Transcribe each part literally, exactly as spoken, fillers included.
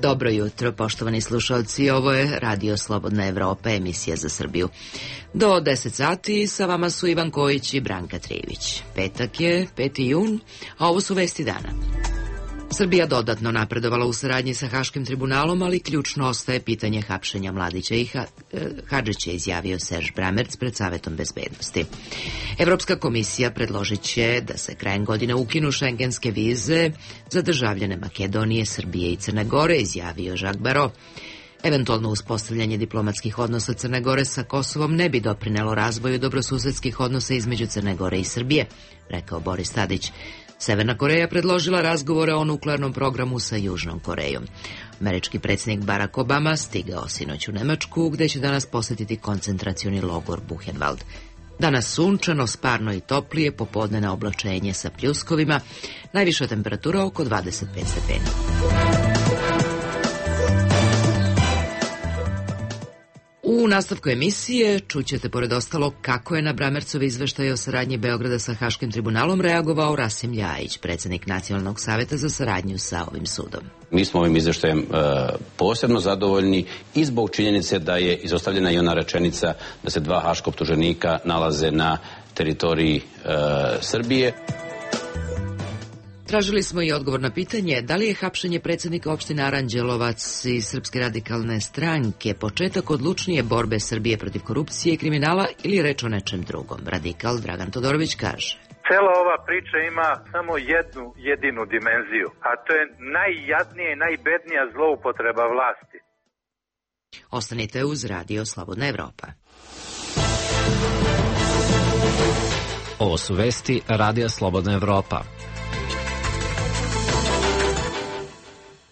Dobro jutro, poštovani slušalci, ovo je Radio Slobodna Evropa, emisija za Srbiju. Do deset sati sa vama su Ivan Kojić i Branka Trijević. Petak je peti jun, a ovo su vesti dana. Srbija dodatno napredovala u saradnji sa Haškim tribunalom, ali ključno ostaje pitanje hapšenja Mladića i ha Hadžića, izjavio Serž Bramerc pred Savetom bezbednosti. Evropska komisija predložit će da se krajem godine ukinu šengenske vize za državljane Makedonije, Srbije i Crne Gore, izjavio Jacques Barrot. Eventualno uspostavljanje diplomatskih odnosa Crne Gore sa Kosovom ne bi doprinelo razvoju dobrosusedskih odnosa između Crne Gore i Srbije, rekao Boris Tadić. Severna Koreja predložila razgovore o nuklearnom programu sa Južnom Korejom. Američki predsjednik Barack Obama stigao sinoć u Nemačku, gde će danas posjetiti koncentracioni logor Buchenwald. Danas sunčano, sparno i toplije, popodnevno oblačenje sa pljuskovima, najviša temperatura oko dvadeset pet stepeni. U nastavku emisije čućete pored ostalo kako je na Bramercov izveštaj o saradnji Beograda sa Haškim tribunalom reagovao Rasim Ljajić, predsjednik Nacionalnog saveta za saradnju sa ovim sudom. Mi smo ovim izveštajem e, posebno zadovoljni i zbog činjenice da je izostavljena i ona rečenica da se dva haška optuženika nalaze na teritoriji e, Srbije. Tražili smo i odgovor na pitanje da li je hapšenje predsjednika opštine Aranđelovac iz Srpske radikalne stranke početak odlučnije borbe Srbije protiv korupcije i kriminala ili je reč o nečem drugom. Radikal Dragan Todorović kaže: Cela ova priča ima samo jednu jedinu dimenziju, a to je najjadnija i najbednija zloupotreba vlasti. Ostanite uz Radio Slobodna Evropa. Ovo su vesti Radija Slobodna Evropa.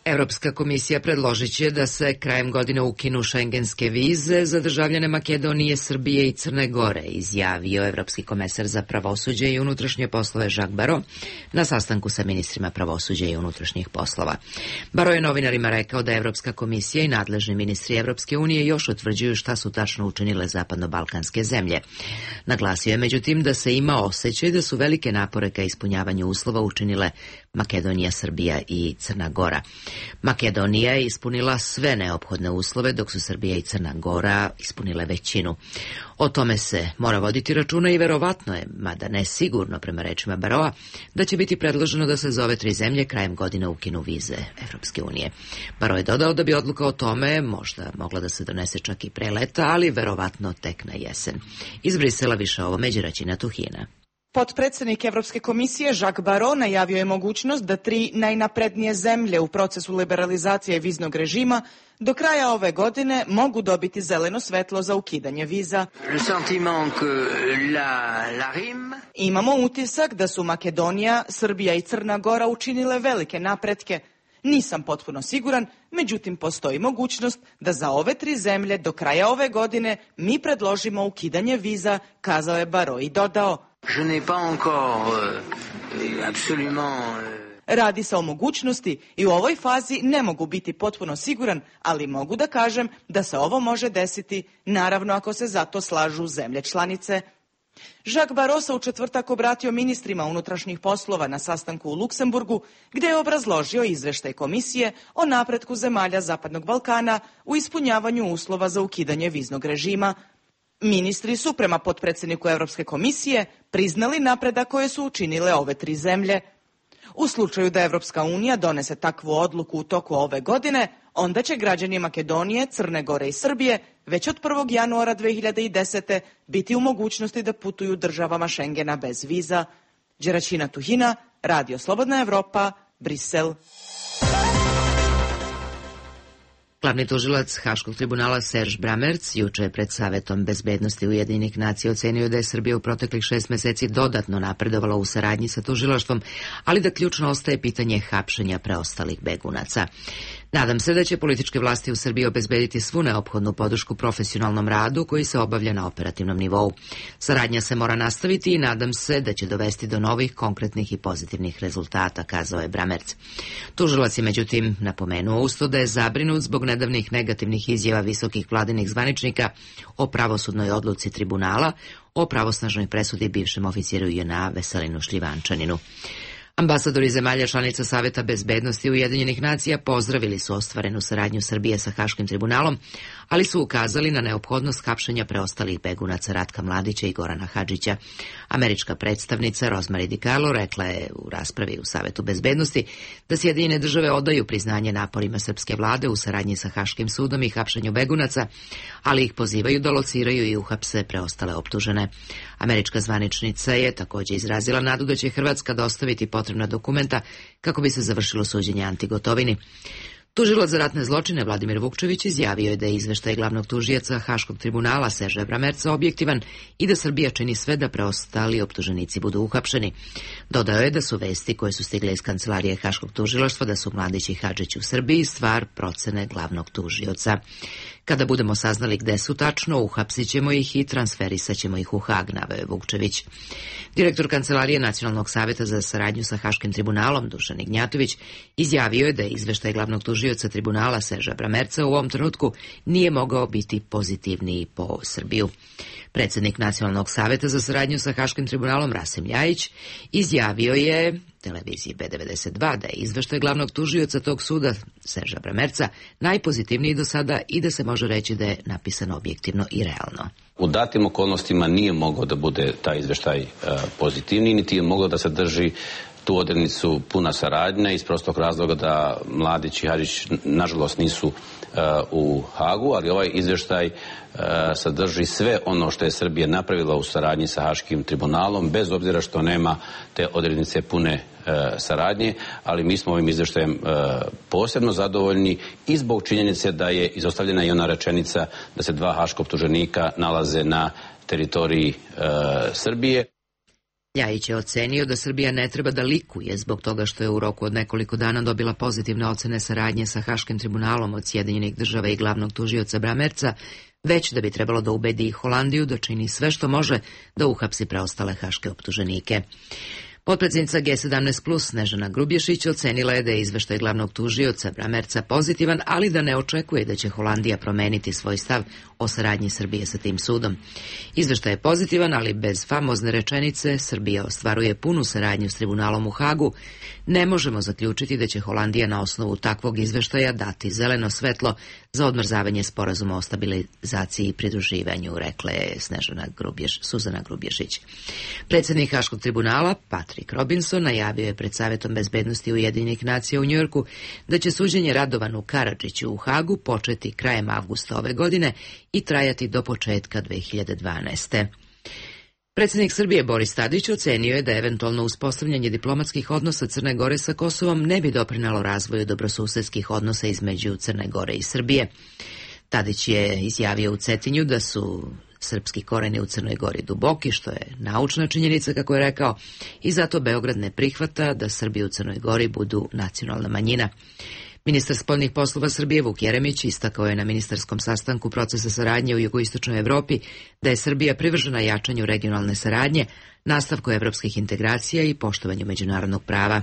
Evropska komisija predložit će da se krajem godine ukinu šengenske vize za državljane Makedonije, Srbije i Crne Gore, izjavio evropski komesar za pravosuđe i unutrašnje poslove Jacques Barrot na sastanku sa ministrima pravosuđa i unutrašnjih poslova. Barrot je novinarima rekao da Evropska komisija i nadležni ministri Evropske unije još utvrđuju šta su tačno učinile zapadno-balkanske zemlje. Naglasio je međutim da se ima osjećaj da su velike napore ka ispunjavanju uslova učinile Makedonija, Srbija i Crna Gora. Makedonija je ispunila sve neophodne uslove, dok su Srbija i Crna Gora ispunile većinu. O tome se mora voditi računa i verovatno je, mada ne sigurno prema rečima Barroa, da će biti predloženo da se za ove tri zemlje krajem godine ukinu vize Evropske unije. Barrot je dodao da bi odluka o tome možda mogla da se donese čak i pre leta, ali verovatno tek na jesen. Iz Brisela više ovo Đeraćina Tuhina. Potpredsjednik Evropske komisije Jacques Barrot najavio je mogućnost da tri najnaprednije zemlje u procesu liberalizacije viznog režima do kraja ove godine mogu dobiti zeleno svetlo za ukidanje viza. Imamo utisak da su Makedonija, Srbija i Crna Gora učinile velike napretke. Nisam potpuno siguran, međutim postoji mogućnost da za ove tri zemlje do kraja ove godine mi predložimo ukidanje viza, kazao je Barrot i dodao: Je n'ai pas encore euh, absolument... Radi se o mogućnosti i u ovoj fazi ne mogu biti potpuno siguran, ali mogu da kažem da se ovo može desiti, naravno ako se za to slažu zemlje članice. Jacques Barrot se u četvrtak obratio ministrima unutrašnjih poslova na sastanku u Luksemburgu, gdje je obrazložio izveštaj komisije o napretku zemalja Zapadnog Balkana u ispunjavanju uslova za ukidanje viznog režima. Ministri su, prema potpredsjedniku Evropske komisije, priznali napredak koje su učinile ove tri zemlje. U slučaju da Evropska unija donese takvu odluku u toku ove godine, onda će građani Makedonije, Crne Gore i Srbije već od prvog januara dve hiljade desete. biti u mogućnosti da putuju državama Šengena bez viza. Đeraćina Tuhina, Radio Slobodna Evropa, Brisel. Glavni tužilac Haškog tribunala Serž Bramerc juče je pred Savetom bezbednosti Ujedinjenih nacija ocenio da je Srbija u proteklih šest meseci dodatno napredovala u saradnji sa tužilaštvom, ali da ključno ostaje pitanje hapšenja preostalih begunaca. Nadam se da će političke vlasti u Srbiji obezbediti svu neophodnu podršku profesionalnom radu koji se obavlja na operativnom nivou. Saradnja se mora nastaviti i nadam se da će dovesti do novih, konkretnih i pozitivnih rezultata, kazao je Bramerc. Tužilac je međutim napomenuo usto da je zabrinut zbog nedavnih negativnih izjava visokih vladinih zvaničnika o pravosudnoj odluci tribunala o pravosnažnoj presudi bivšem oficiru J N A Veselinu Šljivančaninu. Ambasadori zemalja članica Saveta bezbednosti Ujedinjenih nacija pozdravili su ostvarenu saradnju Srbije sa Haškim tribunalom, ali su ukazali na neophodnost hapšenja preostalih begunaca Ratka Mladića i Gorana Hadžića. Američka predstavnica Rosemary DiCarlo rekla je u raspravi u Savetu bezbednosti da Sjedinjene države odaju priznanje naporima srpske vlade u saradnji sa Haškim sudom i hapšenju begunaca, ali ih pozivaju da lociraju i uhapse preostale optužene. Američka zvaničnica je također izrazila nadu da će Hrvatska dostaviti potrebna dokumenta kako bi se završilo suđenje Anti Gotovini. Tužilac za ratne zločine Vladimir Vukčević izjavio je da je izveštaj glavnog tužioca Haškog tribunala Serža Bramerca objektivan i da Srbija čini sve da preostali optuženici budu uhapšeni. Dodao je da su vesti koje su stigle iz kancelarije Haškog tužilaštva da su Mladić i Hadžić u Srbiji stvar procene glavnog tužioca. Kada budemo saznali gde su tačno, uhapsit ćemo ih i transferisat ćemo ih u Hag, naveo je Vukčević. Direktor Kancelarije Nacionalnog saveta za saradnju sa Haškim tribunalom Dušan Ignjatović izjavio je da je izveštaj glavnog tužioca tribunala Serža Bramerca u ovom trenutku nije mogao biti pozitivniji po Srbiju. Predsjednik Nacionalnog saveta za saradnju sa Haškim tribunalom Rasim Ljajić izjavio je televiziji B devedeset dva da je izveštaj glavnog tužioca tog suda Serža Bramerca najpozitivniji do sada i da se može reći da je napisan objektivno i realno. U datim okolnostima nije mogao da bude taj izveštaj uh, pozitivniji, niti je mogao da sadrži tu odrednicu puna saradnja iz prostog razloga da Mladić i Hadžić nažalost nisu uh, u Hagu, ali ovaj izveštaj uh, sadrži sve ono što je Srbija napravila u saradnji sa Haškim tribunalom, bez obzira što nema te odrednice pune uh, saradnje, ali mi smo ovim izveštajem uh, posebno zadovoljni i zbog činjenice da je izostavljena i ona rečenica da se dva haška optuženika nalaze na teritoriji uh, Srbije. Ljajić je ocenio da Srbija ne treba da likuje zbog toga što je u roku od nekoliko dana dobila pozitivne ocene saradnje sa Haškim tribunalom od Sjedinjenih država i glavnog tužioca Bramerca, već da bi trebalo da ubedi i Holandiju da čini sve što može da uhapsi preostale haške optuženike. Potpredsjednica G sedamnaest plus Snežana Grubješić ocenila je da je izveštaj glavnog tužioca Bramerca pozitivan, ali da ne očekuje da će Holandija promeniti svoj stav o saradnji Srbije sa tim sudom. Izveštaj je pozitivan, ali bez famozne rečenice Srbija ostvaruje punu saradnju s tribunalom u Hagu. Ne možemo zaključiti da će Holandija na osnovu takvog izveštaja dati zeleno svetlo za odmrzavanje sporazuma o stabilizaciji i pridruživanju, rekla je Snežana Grubješ, Suzana Grubješić. Predsjednik Haškog tribunala Patrick Robinson najavio je pred Savetom bezbednosti Ujedinjenih nacija u Njujorku da će suđenje Radovanu Karadžiću u Hagu početi krajem avgusta ove godine i trajati do početka dve hiljade dvanaeste. Predsjednik Srbije Boris Tadić ocenio je da eventualno uspostavljanje diplomatskih odnosa Crne Gore sa Kosovom ne bi doprinalo razvoju dobrosusedskih odnosa između Crne Gore i Srbije. Tadić je izjavio u Cetinju da su srpski koreni u Crnoj Gori duboki, što je naučna činjenica, kako je rekao, i zato Beograd ne prihvata da Srbi u Crnoj Gori budu nacionalna manjina. Ministar spoljnih poslova Srbije Vuk Jeremić istakao je na ministarskom sastanku procesa saradnje u jugoistočnoj Evropi da je Srbija privržena jačanju regionalne saradnje, nastavku evropskih integracija i poštovanju međunarodnog prava.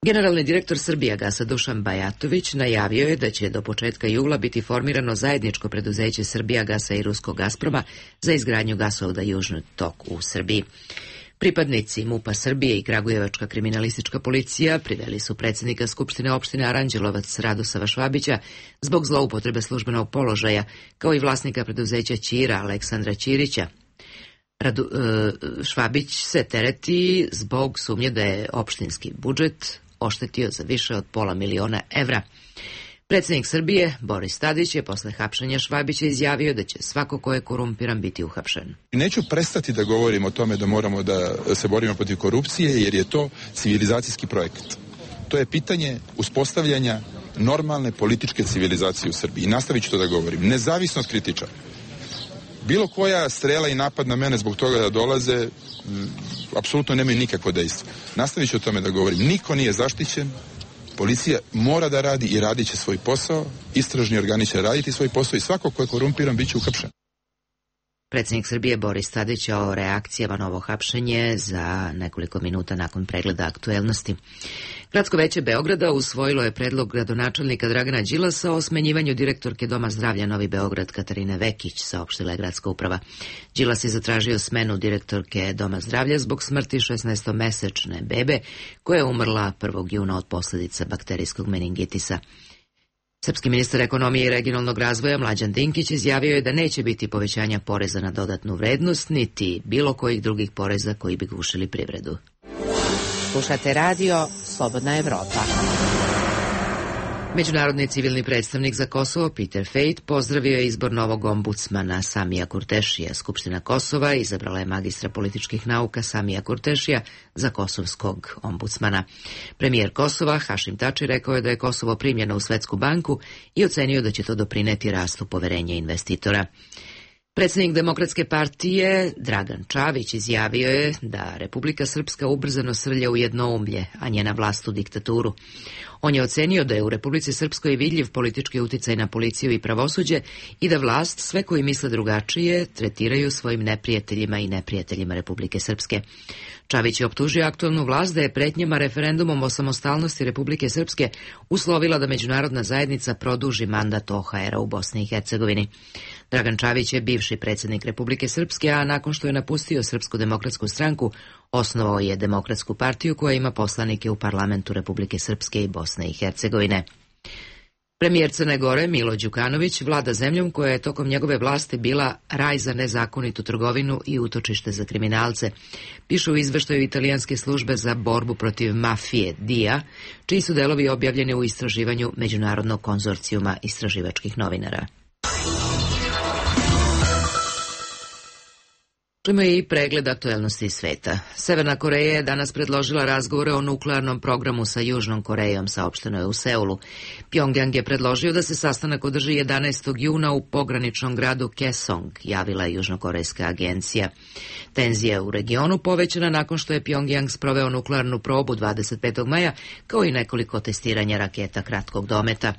Generalni direktor Srbijagasa Dušan Bajatović najavio je da će do početka jula biti formirano zajedničko preduzeće Srbijagasa i Ruskog Gazproma za izgradnju gasovoda Južni tok u Srbiji. Pripadnici MUP-a Srbije i Kragujevačka kriminalistička policija priveli su predsjednika Skupštine opštine Aranđelovac Radosava Švabića zbog zloupotrebe službenog položaja, kao i vlasnika preduzeća Ćira Aleksandra Ćirića. Radu, e, Švabić se tereti zbog sumnje da je opštinski budžet oštetio za više od pola miliona evra. Predsjednik Srbije, Boris Tadić, je posle hapšenja Švabića izjavio da će svako ko je korumpiran biti uhapšen. Neću prestati da govorim o tome da moramo da se borimo protiv korupcije, jer je to civilizacijski projekat. To je pitanje uspostavljanja normalne političke civilizacije u Srbiji. I nastavit ću to da govorim, nezavisno od kritičara. Bilo koja strela i napad na mene zbog toga da dolaze, m, apsolutno nemaju nikakvo dejstvo. Nastavit ću o tome da govorim. Niko nije zaštićen. Policija mora da radi i radit će svoj posao, istražni organi će raditi svoj posao i svako ko je korumpiran bit će uhapšen. Predsjednik Srbije Boris Tadić o reakcijama na ovo hapšenje za nekoliko minuta nakon pregleda aktuelnosti. Gradsko veće Beograda usvojilo je predlog gradonačelnika Dragana Đilasa o smenjivanju direktorke Doma zdravlja Novi Beograd Katarine Vekić, saopštila je gradska uprava. Đilas je zatražio smenu direktorke Doma zdravlja zbog smrti šesnaestomesečne bebe koja je umrla prvog juna od posljedica bakterijskog meningitisa. Srpski ministar ekonomije i regionalnog razvoja Mlađan Dinkić izjavio je da neće biti povećanja poreza na dodatnu vrednost, niti bilo kojih drugih poreza koji bi gušili privredu. Slušate radio Slobodna Evropa. Međunarodni civilni predstavnik za Kosovo Peter Fejt pozdravio je izbor novog ombudsmana Samija Kurtešija. Skupština Kosova izabrala je magistra političkih nauka Samija Kurtešija za kosovskog ombudsmana. Premijer Kosova Hašim Tači rekao je da je Kosovo primljeno u Svetsku banku i ocenio da će to doprineti rastu poverenja investitora. Predsjednik Demokratske partije Dragan Čavić izjavio je da Republika Srpska ubrzano srlja u jednoumlje, a njena vlast u diktaturu. On je ocenio da je u Republici Srpskoj vidljiv politički uticaj na policiju i pravosuđe i da vlast sve koji misle drugačije tretiraju svojim neprijateljima i neprijateljima Republike Srpske. Čavić je optužio aktualnu vlast da je pretnjama referendumom o samostalnosti Republike Srpske uslovila da međunarodna zajednica produži mandat O H R-a u Bosni i Hercegovini. Dragan Čavić je bivši predsjednik Republike Srpske, a nakon što je napustio Srpsku demokratsku stranku, osnovao je Demokratsku partiju koja ima poslanike u parlamentu Republike Srpske i Bosne i Hercegovine. Premijer Crne Gore Milo Đukanović vlada zemljom koja je tokom njegove vlasti bila raj za nezakonitu trgovinu i utočište za kriminalce, piše u izveštaju italijanske službe za borbu protiv mafije D I A, čiji su delovi objavljeni u istraživanju Međunarodnog konzorcijuma istraživačkih novinara. Čujemo i pregled aktuelnosti sveta. Severna Koreja je danas predložila razgovore o nuklearnom programu sa Južnom Korejom, saopšteno je u Seulu. Pjongjang je predložio da se sastanak održi jedanaestog juna u pograničnom gradu Kaesong, javila je južnokorejska agencija. Tenzija u regionu povećana nakon što je Pjongjang sproveo nuklearnu probu dvadeset petog maja, kao i nekoliko testiranja raketa kratkog dometa.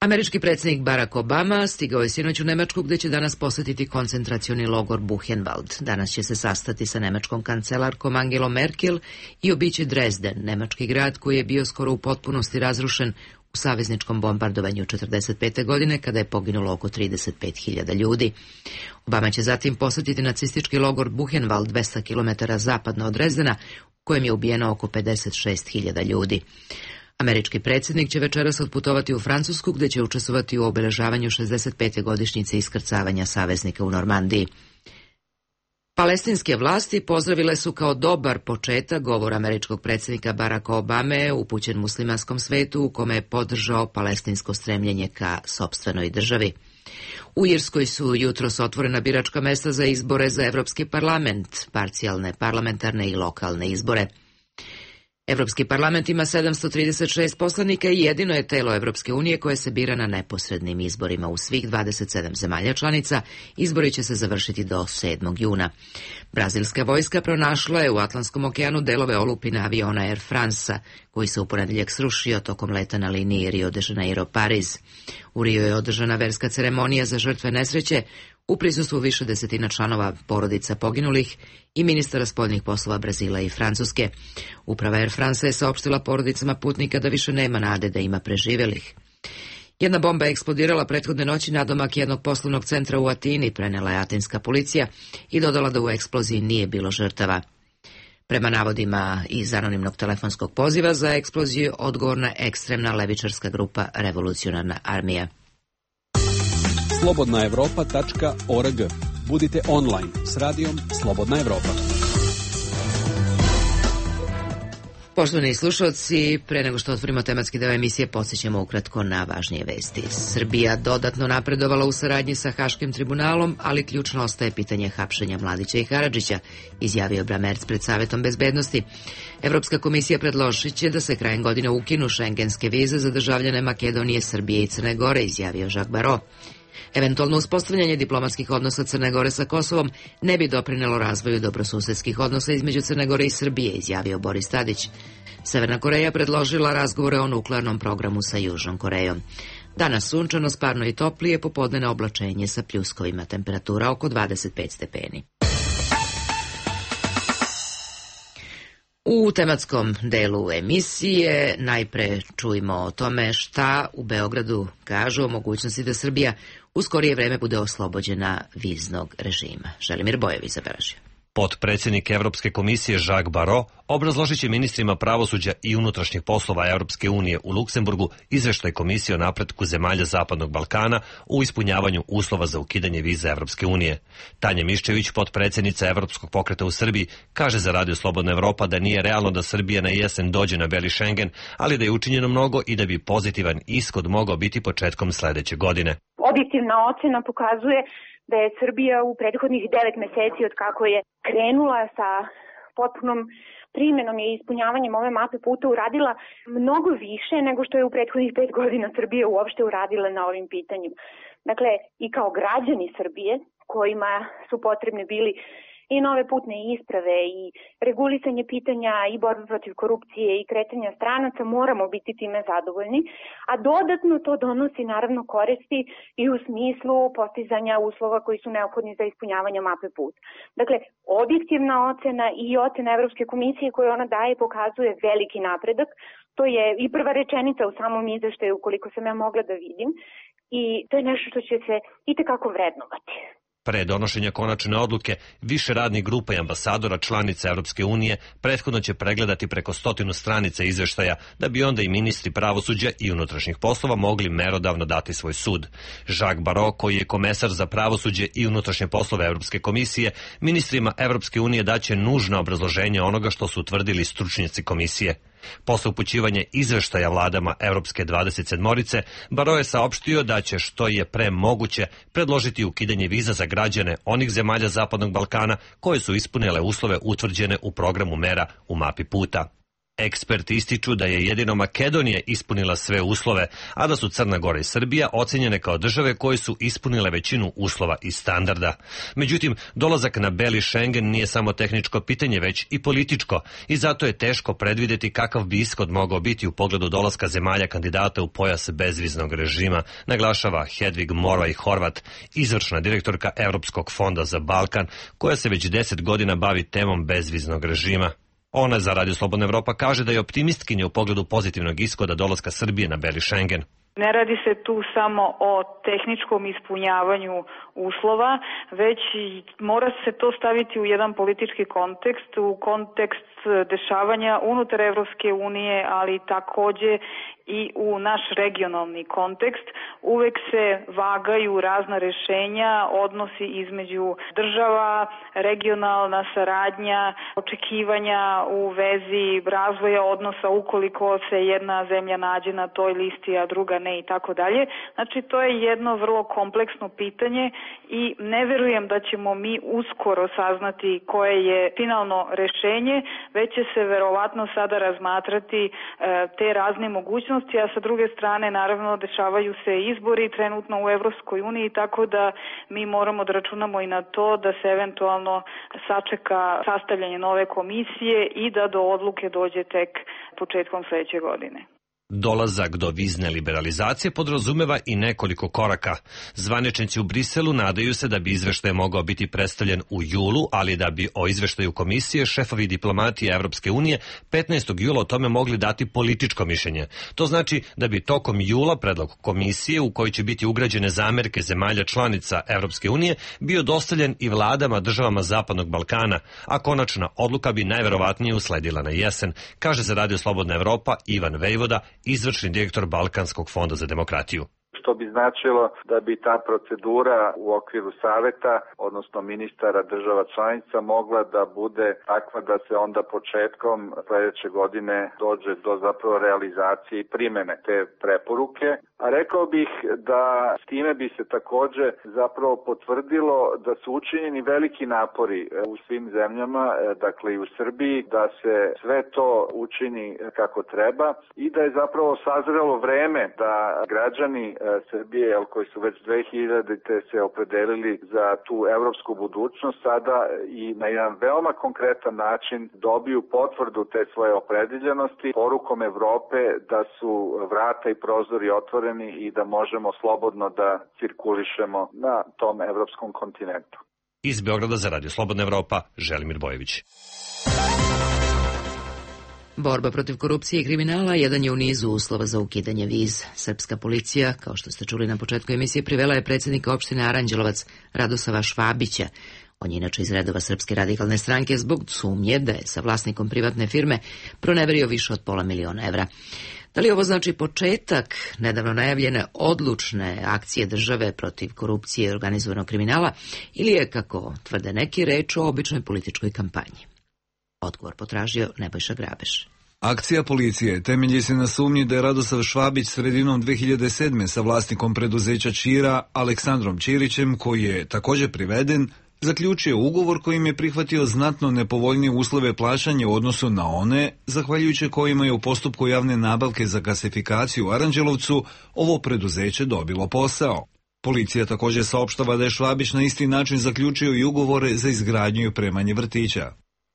Američki predsjednik Barack Obama stigao je sinoć u Nemačku gdje će danas posjetiti koncentracioni logor Buchenwald. Danas će se sastati sa nemačkom kancelarkom Angelom Merkel i obići Dresden, nemački grad koji je bio skoro u potpunosti razrušen u savezničkom bombardovanju četrdeset pete godine kada je poginulo oko trideset pet hiljada ljudi. Obama će zatim posjetiti nacistički logor Buchenwald dvesta kilometara zapadno od Dresdena u kojem je ubijeno oko pedeset šest hiljada ljudi. Američki predsjednik će večeras otputovati u Francusku gdje će učestvovati u obeležavanju šezdeset pete godišnjice iskrcavanja saveznika u Normandiji. Palestinske vlasti pozdravile su kao dobar početak govor američkog predsjednika Baracka Obame upućen muslimanskom svetu u kome je podržao palestinsko stremljenje ka sopstvenoj državi. U Irskoj su jutros otvorena biračka mesta za izbore za Evropski parlament, parcijalne parlamentarne i lokalne izbore. Evropski parlament ima sedamsto trideset šest poslanika i jedino je telo Evropske unije koje se bira na neposrednim izborima u svih dvadeset sedam zemalja članica. Izbori će se završiti do sedmog juna. Brazilska vojska pronašla je u Atlantskom okeanu delove olupina aviona Air France-a, koji se u ponedjeljak srušio tokom leta na liniji Rio de Janeiro-Pariz. U Rio je održana verska ceremonija za žrtve nesreće u prisustvu više desetina članova porodica poginulih i ministara spoljnih poslova Brazila i Francuske. Uprava Air France je saopštila porodicama putnika da više nema nade da ima preživelih. Jedna bomba je eksplodirala prethodne noći nadomak jednog poslovnog centra u Atini, prenela je atinska policija i dodala da u eksploziji nije bilo žrtava. Prema navodima iz anonimnog telefonskog poziva za eksploziju odgovorna ekstremna levičarska grupa Revolucionarna armija. slobodna evropa tačka org. Budite online s radijom Slobodna Evropa. Poštovani slušalci, pre nego što otvorimo tematski deo emisije, podsjećamo ukratko na važnije vesti. Srbija dodatno napredovala u saradnji sa Haškim tribunalom, ali ključno ostaje pitanje hapšenja Mladića i Karadžića, izjavio Bramerc pred Savetom bezbednosti. Evropska komisija predložit će da se krajem godine ukinu šengenske vize za državljane Makedonije, Srbije i Crne Gore, izjavio Jacques Barrot. Eventualno uspostavljanje diplomatskih odnosa Crne Gore sa Kosovom ne bi doprinelo razvoju dobrosusedskih odnosa između Crne Gore i Srbije, izjavio Boris Tadić. Severna Koreja predložila razgovore o nuklearnom programu sa Južnom Korejom. Danas sunčano, sparno i toplije, popodnevno oblačenje sa pljuskovima, temperatura oko dvadeset pet stepeni. U tematskom delu emisije najpre čujemo o tome šta u Beogradu kažu o mogućnosti da Srbija u skorije vreme bude oslobođena viznog režima. Želimir Bojević zabeležio. Potpredsjednik Evropske komisije Jacques Barrot obrazložit će ministrima pravosuđa i unutrašnjih poslova Europske unije u Luksemburgu izveštaj komisije o napretku zemalja Zapadnog Balkana u ispunjavanju uslova za ukidanje viza Evropske unije. Tanja Miščević, potpredsjednica Evropskog pokreta u Srbiji, kaže za Radio Slobodna Evropa da nije realno da Srbija na jesen dođe na beli Schengen, ali da je učinjeno mnogo i da bi pozitivan ishod mogao biti početkom sledeće godine. Objektivna ocena pokazuje da je Srbija u prethodnih devet meseci od kako je krenula sa potpunom primjenom i ispunjavanjem ove mape puta uradila mnogo više nego što je u prethodnih pet godina Srbija uopšte uradila na ovim pitanjima. Dakle, i kao građani Srbije kojima su potrebni bili i nove putne isprave i regulisanje pitanja i borbe protiv korupcije i kretanja stranaca, moramo biti time zadovoljni, a dodatno to donosi naravno koristi i u smislu postizanja uslova koji su neophodni za ispunjavanje mape puta. Dakle, objektivna ocena i ocena Evropske komisije koju ona daje pokazuje veliki napredak. To je i prva rečenica u samom izveštaju koliko sam ja mogla da vidim i to je nešto što će se itekako vrednovati. Pre donošenja konačne odluke, više radnih grupa i ambasadora članica Evropske unije prethodno će pregledati preko stotinu stranica izveštaja, da bi onda i ministri pravosuđa i unutrašnjih poslova mogli merodavno dati svoj sud. Jacques Barrot, koji je komesar za pravosuđe i unutrašnje poslove Evropske komisije, ministrima Evropske unije daće nužna obrazloženja onoga što su utvrdili stručnjaci komisije. Posle upućivanja izveštaja vladama Evropske dvadeset sedmorice, Barrot je saopštio da će što je pre moguće predložiti ukidanje viza za građane onih zemalja Zapadnog Balkana koje su ispunile uslove utvrđene u programu mera u mapi puta. Eksperti ističu da je jedino Makedonija ispunila sve uslove, a da su Crna Gora i Srbija ocenjene kao države koje su ispunile većinu uslova i standarda. Međutim, dolazak na beli Schengen nije samo tehničko pitanje, već i političko, i zato je teško predvideti kakav bi ishod mogao biti u pogledu dolaska zemalja kandidata u pojas bezviznog režima, naglašava Hedvig Morvaj Horvat, izvršna direktorka Evropskog fonda za Balkan, koja se već deset godina bavi temom bezviznog režima. Ona za Radio Slobodna Evropa kaže da je optimistkinja u pogledu pozitivnog ishoda dolaska Srbije na beli Schengen. Ne radi se tu samo o tehničkom ispunjavanju uslova, već mora se to staviti u jedan politički kontekst, u kontekst dešavanja unutar Evropske unije, ali takođe i u naš regionalni kontekst. Uvek se vagaju razna rešenja, odnosi između država, regionalna saradnja, očekivanja u vezi razvoja odnosa ukoliko se jedna zemlja nađe na toj listi, a druga ne i tako dalje. Znači, to je jedno vrlo kompleksno pitanje i ne verujem da ćemo mi uskoro saznati koje je finalno rešenje, već će se verovatno sada razmatrati e, te razne mogućnosti, a sa druge strane naravno dešavaju se izbori trenutno u Evropskoj uniji, tako da mi moramo da računamo i na to da se eventualno sačeka sastavljanje nove komisije i da do odluke dođe tek početkom sledeće godine. Dolazak do vizne liberalizacije podrazumeva i nekoliko koraka. Zvaničnici u Briselu nadaju se da bi izveštaj mogao biti predstavljen u julu, ali da bi o izveštaju komisije šefovi diplomatije Evropske unije petnaestog jula o tome mogli dati političko mišljenje. To znači da bi tokom jula predlog komisije, u kojoj će biti ugrađene zamerke zemalja članica Evropske unije, bio dostavljen i vladama državama Zapadnog Balkana, a konačna odluka bi najverovatnije usledila na jesen, kaže za Radio Slobodna Evropa Ivan Vejvoda, izvršni direktor Balkanskog fonda za demokratiju. Što bi značilo da bi ta procedura u okviru saveta, odnosno ministara država članica, mogla da bude takva da se onda početkom sledeće godine dođe do zapravo realizacije i primene te preporuke. A rekao bih da s time bi se takođe zapravo potvrdilo da su učinjeni veliki napori u svim zemljama, dakle i u Srbiji, da se sve to učini kako treba i da je zapravo sazrelo vreme da građani Srbije, koji su već dve hiljadite se opredelili za tu evropsku budućnost, sada i na jedan veoma konkretan način dobiju potvrdu te svoje opredeljenosti porukom Evrope da su vrata i prozori otvoreni otvoreni i da možemo slobodno da cirkulišemo na tom evropskom kontinentu. Iz Beograda za Radio Slobodna Evropa, Želimir Bojević. Borba protiv korupcije i kriminala jedan je u nizu uslova za ukidanje viz. Srpska policija, kao što ste čuli na početku emisije, privela je predsjednika opštine Aranđelovac Radosava Švabića. On je inače iz redova Srpske radikalne stranke zbog sumnje da je sa vlasnikom privatne firme proneverio više od pola miliona evra. Da li ovo znači početak nedavno najavljene odlučne akcije države protiv korupcije i organizovanog kriminala ili je, kako tvrde neki, reč o običnoj političkoj kampanji? Odgovor potražio Nebojša Grabeš. Akcija policije temelji se na sumnji da je Radosav Švabić sredinom dve hiljade sedme sa vlasnikom preduzeća Čira, Aleksandrom Ćirićem, koji je također priveden, zaključio ugovor kojim je prihvatio znatno nepovoljnije uslove plaćanja u odnosu na one, zahvaljujući kojima je u postupku javne nabavke za gasifikaciju u Aranđelovcu ovo preduzeće dobilo posao. Policija također saopštava da je Švabić na isti način zaključio i ugovore za izgradnju i opremanje vrtića.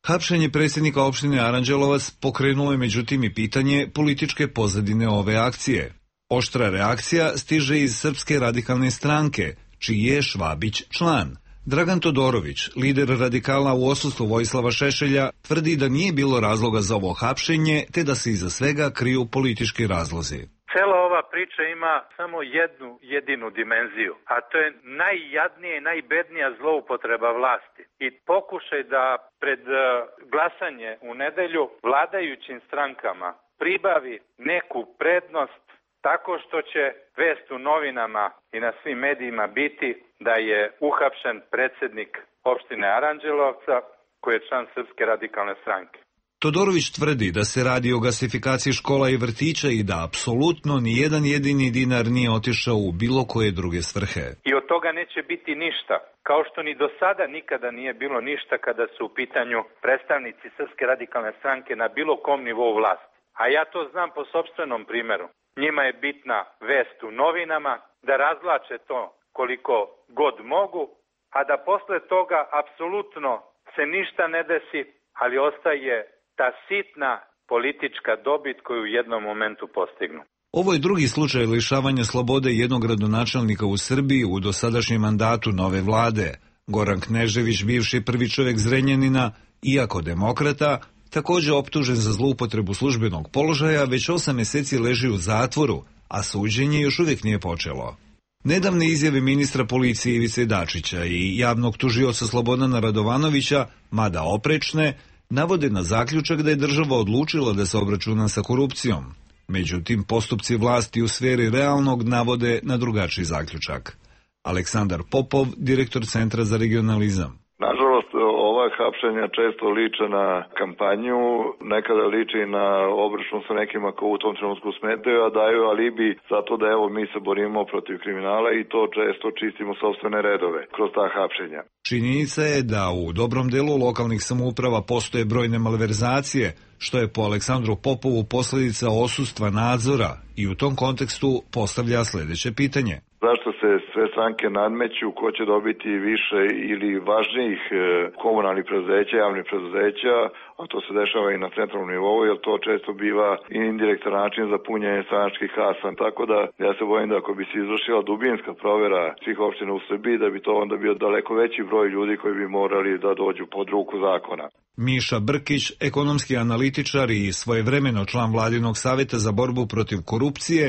Hapšenje predsjednika opštine Aranđelovac pokrenulo je međutim i pitanje političke pozadine ove akcije. Oštra reakcija stiže iz Srpske radikalne stranke, čiji je Švabić član. Dragan Todorović, lider radikala u odsustvu Vojislava Šešelja, tvrdi da nije bilo razloga za ovo hapšenje, te da se iza svega kriju politički razlozi. Cela ova priča ima samo jednu jedinu dimenziju, a to je najjadnije i najbednija zloupotreba vlasti i pokušaj da pred glasanje u nedelju vladajućim strankama pribavi neku prednost tako što će vest u novinama i na svim medijima biti da je uhapšen predsjednik opštine Aranđelovca koji je član Srpske radikalne stranke. Todorović tvrdi da se radi o gasifikaciji škola i vrtića i da apsolutno ni jedan jedini dinar nije otišao u bilo koje druge svrhe. I od toga neće biti ništa, kao što ni do sada nikada nije bilo ništa kada su u pitanju predstavnici Srpske radikalne stranke na bilo kom nivou vlasti. A ja to znam po sopstvenom primjeru. Njima je bitna vest u novinama, da razvlače to koliko god mogu, a da posle toga apsolutno se ništa ne desi, ali ostaje ta sitna politička dobit koju u jednom momentu postignu. Ovo je drugi slučaj lišavanja slobode jednog gradonačelnika u Srbiji u dosadašnjem mandatu nove vlade. Goran Knežević, bivši prvi čovjek Zrenjanina, iako demokrata, također optužen za zloupotrebu službenog položaja, već osam mjeseci leži u zatvoru, a suđenje još uvijek nije počelo. Nedavne izjave ministra policije Ivice Dačića i javnog tužioca Slobodana Radovanovića, mada oprečne, navode na zaključak da je država odlučila da se obračuna sa korupcijom. Međutim, postupci vlasti u sferi realnog navode na drugačiji zaključak. Aleksandar Popov, direktor Centra za regionalizam. Nažalost, ova hapšenja često liče na kampanju, nekada liči na obračun sa nekima ko u tom trenutku smetaju, a daju alibi zato da evo mi se borimo protiv kriminala i to često čistimo sopstvene redove kroz ta hapšenja. Činjenica je da u dobrom delu lokalnih samouprava postoje brojne malverzacije, što je po Aleksandru Popovu posljedica odsustva nadzora i u tom kontekstu postavlja sljedeće pitanje. Zašto se sve stranke nadmeću, ko će dobiti više ili važnijih komunalnih preduzeća, javnih preduzeća, a to se dešava i na centralnom nivou, jer to često biva i indirektan način za punjenje stranačkih kasa. Tako da ja se bojim da ako bi se izvršila dubinska provjera svih opština u Srbiji, da bi to onda bio daleko veći broj ljudi koji bi morali da dođu pod ruku zakona. Miša Brkić, ekonomski analitičar i svojevremeno član Vladinog savjeta za borbu protiv korupcije,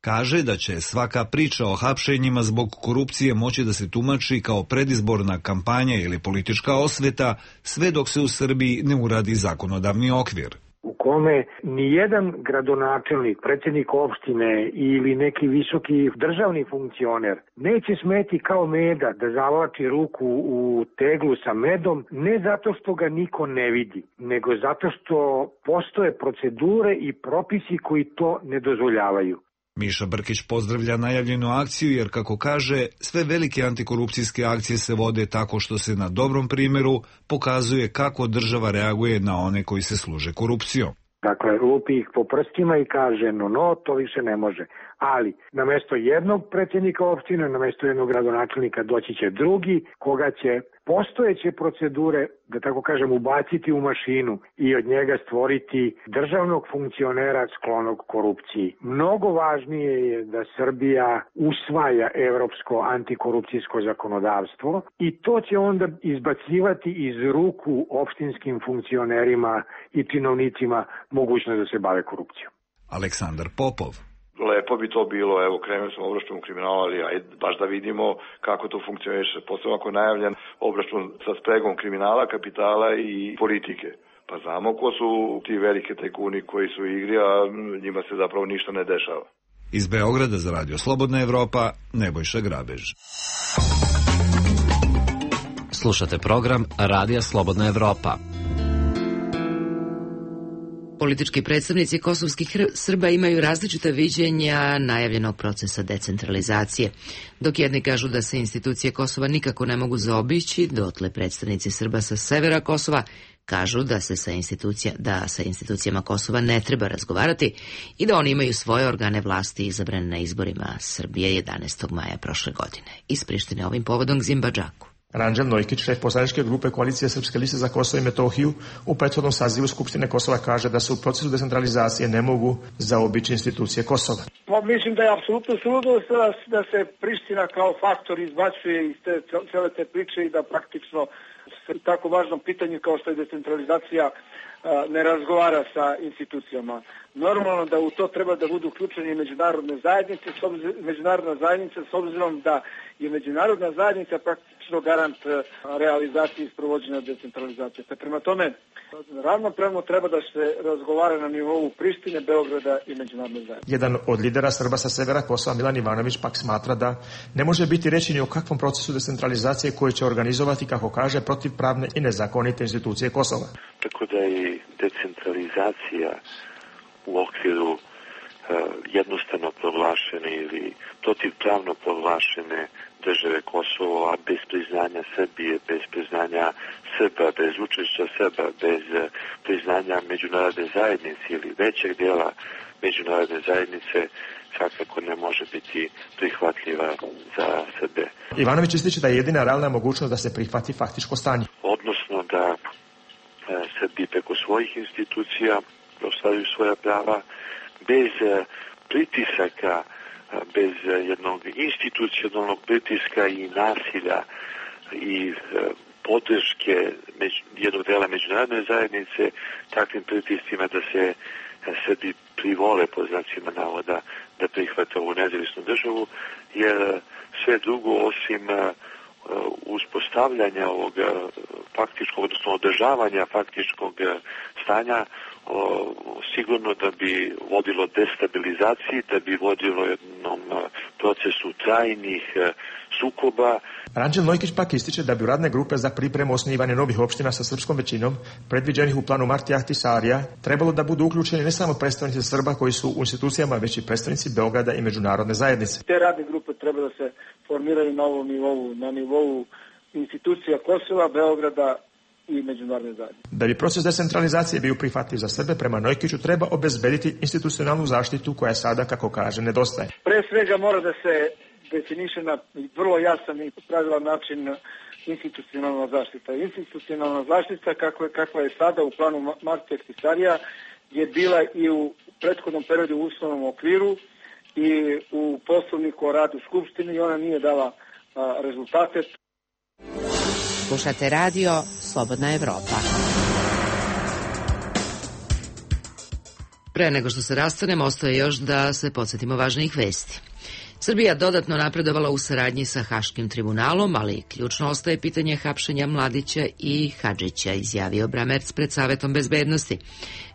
kaže da će svaka priča o hapšenjima zbog korupcije moći da se tumači kao predizborna kampanja ili politička osveta, sve dok se u Srbiji ne uradi zakonodavni okvir. U kome nijedan gradonačelnik, predsjednik opštine ili neki visoki državni funkcioner neće smeti kao meda da zavlači ruku u teglu sa medom, ne zato što ga niko ne vidi, nego zato što postoje procedure i propisi koji to ne dozvoljavaju. Miša Brkić pozdravlja najavljenu akciju jer, kako kaže, sve velike antikorupcijske akcije se vode tako što se na dobrom primjeru pokazuje kako država reaguje na one koji se služe korupcijom. Dakle, lupi ih po prstima i kaže, no, no, to više ne može. Ali, namjesto jednog predsjednika opštine, namjesto jednog gradonačelnika doći će drugi, koga će postojeće procedure, da tako kažem, ubaciti u mašinu i od njega stvoriti državnog funkcionera sklonog korupciji. Mnogo važnije je da Srbija usvaja evropsko antikorupcijsko zakonodavstvo i to će onda izbacivati iz ruku opštinskim funkcionerima i činovnicima mogućnost da se bave korupcijom. Aleksandar Popov. Lepo bi to bilo, evo krenuli smo obračun kriminala, ali ajde baš da vidimo kako to funkcioniše. Posebno ako je najavljen obračun sa spregom kriminala, kapitala i politike. Pa znamo ko su ti velike tajkuni koji su u igri, a njima se zapravo ništa ne dešava. Iz Beograda za Radio Slobodna Evropa, Nebojša Grabež. Slušate program Radija Slobodna Evropa. Politički predstavnici kosovskih Srba imaju različita viđenja najavljenog procesa decentralizacije. Dok jedni kažu da se institucije Kosova nikako ne mogu zaobići, dotle predstavnici Srba sa severa Kosova kažu da se sa institucija, da sa institucijama Kosova ne treba razgovarati i da oni imaju svoje organe vlasti izabrane na izborima Srbije jedanaestog maja prošle godine. Iz Prištine ovim povodom Zimba Džaku. Ranđel Nojkić, šef poslaničke grupe Koalicije Srpske liste za Kosovo i Metohiju, u prethodnom sazivu Skupštine Kosova kaže da se u procesu decentralizacije ne mogu zaobići institucije Kosova. Pa mislim da je apsolutno suludo da se Priština kao faktor izbacuje iz te, cele te priče i da praktično se tako važnom pitanju kao što je decentralizacija ne razgovara sa institucijama. Normalno da u to treba da budu uključeni i međunarodne zajednice, međunarodna zajednica s obzirom da je međunarodna zajednica praktično garant realizacije i sprovođenja decentralizacije. Pa prema tome, ravnopravno treba da se razgovara na nivou Prištine, Beograda i međunarodne zajednice. Jedan od lidera Srba sa severa Kosova, Milan Ivanović, pak smatra da ne može biti reći ni o kakvom procesu decentralizacije koji će organizovati, kako kaže, protivpravne i nezakonite institucije Kosova. Tako da je decentralizacija u okviru uh, jednostavno proglašene ili protivpravno proglašene države Kosovo, a bez priznanja Srbije, bez priznanja Srba, bez učešća Srba, bez uh, priznanja međunarodne zajednice ili većeg dela međunarodne zajednice svakako ne može biti prihvatljiva za Srbe. Ivanović ističe da je jedina realna mogućnost da se prihvati faktičko stanje. Odnosno da uh, Srbi preko svojih institucija ostvaruju svoja prava bez uh, pritisaka, uh, bez uh, jednog institucionalnog pritiska i nasilja i uh, podrške među, jednog dela međunarodne zajednice takvim pritiscima da se uh, Srbi privole po znacima navoda da prihvate ovu nezavisnu državu, jer uh, sve drugo osim uh, uspostavljanja ovog uh, faktičkog, odnosno održavanja faktičkog uh, stanja O, sigurno da bi vodilo destabilizaciji, da bi vodilo jednom procesu trajnih sukoba. Ranđel Nojkić pak ističe da bi u radne grupe za pripremu osnivanja novih opština sa srpskom većinom, predviđenih u planu Marti Ahtisarija, trebalo da budu uključeni ne samo predstavnici Srba koji su u institucijama, već i predstavnici Beograda i međunarodne zajednice. Te radne grupe treba da se formiraju na ovom nivou, na nivou institucija Kosova, Beograda i međunarodne zajednice. Da bi proces decentralizacije bio prihvatljiv za Srbe, prema Nojkiću treba obezbediti institucionalnu zaštitu koja sada, kako kaže, nedostaje. Pre svega mora da se definiše na vrlo jasan i pravilan način institucionalna zaštita. Institucionalna zaštita kakva, kakva je sada u planu Marti Ahtisarija je bila i u prethodnom periodu u uslovnom okviru i u poslovniku o radu Skupštine i ona nije dala a, rezultate. Slušate radio Slobodna Evropa. Pre nego što se rastanemo, ostaje još da se podsjetimo važnijih vesti. Srbija dodatno napredovala u saradnji sa Haškim tribunalom, ali ključno ostaje pitanje hapšenja Mladića i Hadžića, izjavio Bramerc pred Savetom bezbednosti.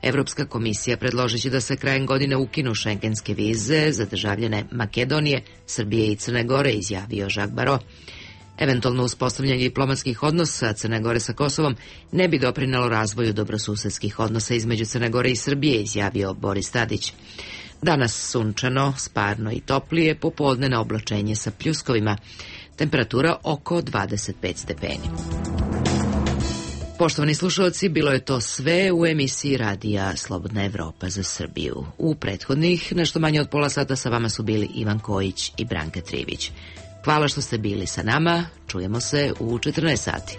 Evropska komisija predložit će da se krajem godine ukinu šengenske vize za državljane Makedonije, Srbije i Crne Gore, izjavio Jacques Barrot. Eventualno uspostavljanje diplomatskih odnosa Crne Gore sa Kosovom ne bi doprinelo razvoju dobrosusedskih odnosa između Crne Gore i Srbije, izjavio Boris Tadić. Danas sunčano, sparno i toplije, popodnevno oblačenje sa pljuskovima. Temperatura oko dvadeset pet stepeni. Poštovani slušalci, bilo je to sve u emisiji Radija Slobodna Evropa za Srbiju. U prethodnih nešto manje od pola sata sa vama su bili Ivan Kojić i Branka Trivić. Hvala što ste bili sa nama. Čujemo se u četrnaest sati.